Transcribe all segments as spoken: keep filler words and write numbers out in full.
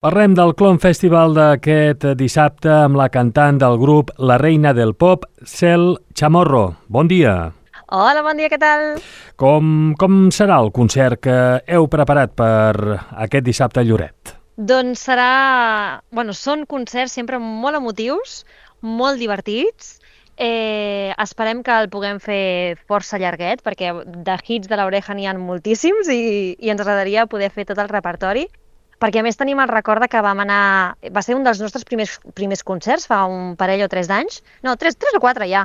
Parlem del Clon Festival d'aquest dissabte amb la cantant del grup La Reina del Pop, Cel Chamorro. Bon dia. Hola, bon dia, què tal? Com, com serà el concert que heu preparat per aquest dissabte a Lloret? Doncs serà... Bueno, són concerts sempre molt emotius, molt divertits. Eh, esperem que el puguem fer força llarguet, perquè de hits de l'Oreja n'hi ha moltíssims i, i ens agradaria poder fer tot el repertori. Perquè a més tenim el record que vam anar... Va ser un dels nostres primers, primers concerts, fa un parell o tres d'anys. No, tres, tres o quatre ja.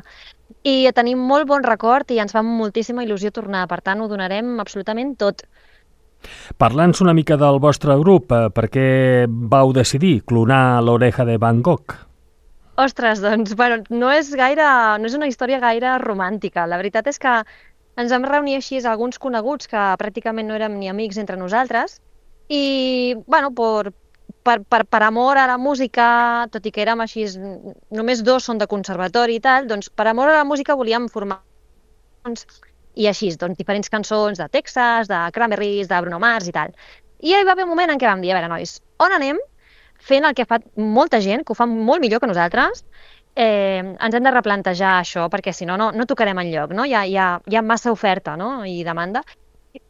I tenim molt bon record i ens fa moltíssima il·lusió tornar. Per tant, ho donarem absolutament tot. Parlant-nos una mica del vostre grup, eh, per què vau decidir clonar l'Oreja de Van Gogh? Ostres, doncs, bueno, no és gaire... No és una història gaire romàntica. La veritat és que ens vam reunir així alguns coneguts que pràcticament no érem ni amics entre nosaltres. I, bueno, per, per, per, per amor a la música, tot i que érem així, només dos són de conservatori i tal, doncs per amor a la música volíem formar i així, doncs, diferents cançons de Texas, de Cranberries, de Bruno Mars i tal. I hi va haver un moment en què vam dir, a veure, nois, on anem fent el que fa molta gent, que ho fa molt millor que nosaltres, eh, ens hem de replantejar això, perquè si no, no, no tocarem enlloc, no? Hi ha, hi ha, hi ha massa oferta, no? I demanda.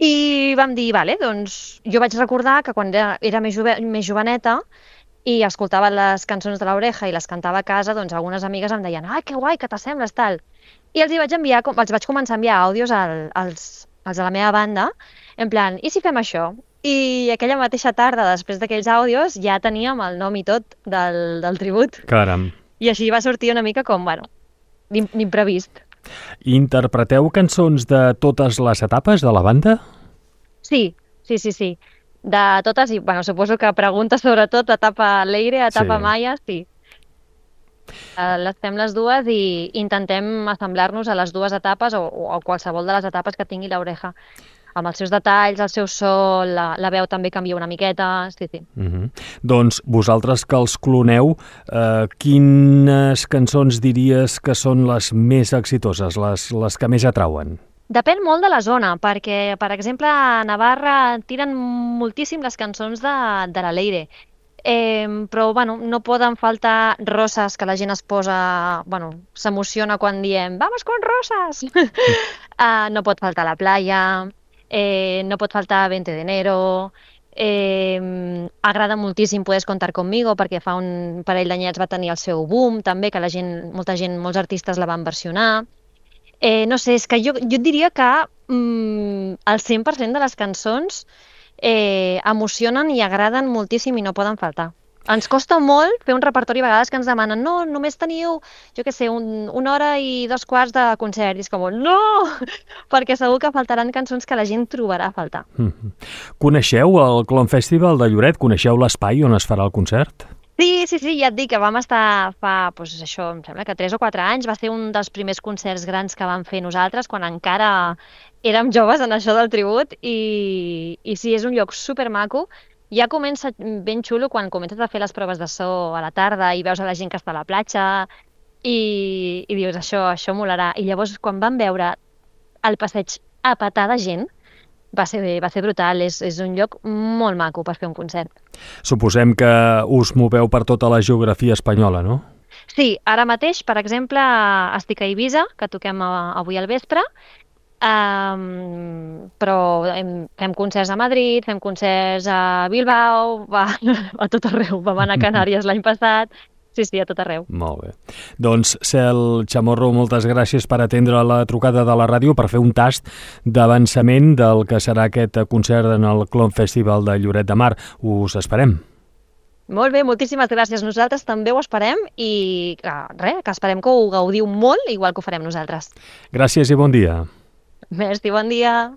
I vam dir, vale, doncs jo vaig recordar que quan era, era més, jove, més joveneta i escoltava les cançons de l'Oreja i les cantava a casa, doncs algunes amigues em deien, ah, que guai, que t'assembles, tal. I els hi vaig enviar, els vaig començar a enviar àudios al, als, als de la meva banda, en plan, i si fem això? I aquella mateixa tarda, després d'aquells àudios, ja teníem el nom i tot del, del tribut. Caram. I així va sortir una mica com, bueno, d'imprevist. Interpreteu cançons de totes les etapes de la banda? Sí, sí, sí, sí. De totes, i bueno, suposo que preguntes sobretot etapa Leire, etapa Sí. Maia, sí. Uh, les fem les dues i intentem assemblar-nos a les dues etapes o, o a qualsevol de les etapes que tingui l'Oreja. Amb els seus detalls, el seu so, la, la veu també canvia una miqueta, sí, sí. Uh-huh. Doncs vosaltres que els cloneu, eh, quines cançons diries que són les més exitoses, les, les que més atrauen? Depèn molt de la zona, perquè, per exemple, a Navarra tiren moltíssim les cançons de, de la Leire. Eh, però, bueno, no poden faltar roses, que la gent es posa... Bueno, s'emociona quan diem «Vamos con rosas!» uh, No pot faltar la playa... Eh, no pot faltar veinte de enero, eh, agrada moltíssim Puedes contar conmigo perquè fa un parell d'anyets va tenir el seu boom també, que la gent, molta gent, molts artistes la van versionar. Eh, no sé, és que jo, jo diria que mm, el cent per cent de les cançons eh, emocionen i agraden moltíssim i no poden faltar. Ens costa molt fer un repertori a vegades que ens demanen no, només teniu, jo què sé, un, una hora i dos quarts de concert. I és com, no! Perquè segur que faltaran cançons que la gent trobarà a faltar. Mm-hmm. Coneixeu el Clon Festival de Lloret? Coneixeu l'espai on es farà el concert? Sí, sí, sí, ja et dic que vam estar fa, doncs això, em sembla que tres o quatre anys. Va ser un dels primers concerts grans que vam fer nosaltres, quan encara érem joves en això del tribut. I, i sí, és un lloc supermaco. Ja comença ben xulo quan comences a fer les proves de so a la tarda i veus a la gent que està a la platja i, i dius, això, això molarà. I llavors, quan vam veure el passeig a petar de gent, va ser, va ser brutal. És, és un lloc molt maco per fer un concert. Suposem que us moveu per tota la geografia espanyola, no? Sí, ara mateix, per exemple, estic a Eivissa, que toquem avui al vespre, Um, però hem, fem concerts a Madrid, fem concerts a Bilbao, va, a tot arreu. Vam anar a Canàries l'any passat, sí, sí, a tot arreu. Molt bé. Doncs, Cel Chamorro, moltes gràcies per atendre la trucada de la ràdio, per fer un tast d'avançament del que serà aquest concert en el Clon Festival de Lloret de Mar. Us esperem. Molt bé, moltíssimes gràcies. Nosaltres també ho esperem i que, res, que esperem que ho gaudiu molt, igual que ho farem nosaltres. Gràcies i bon dia. Merci, bon dia.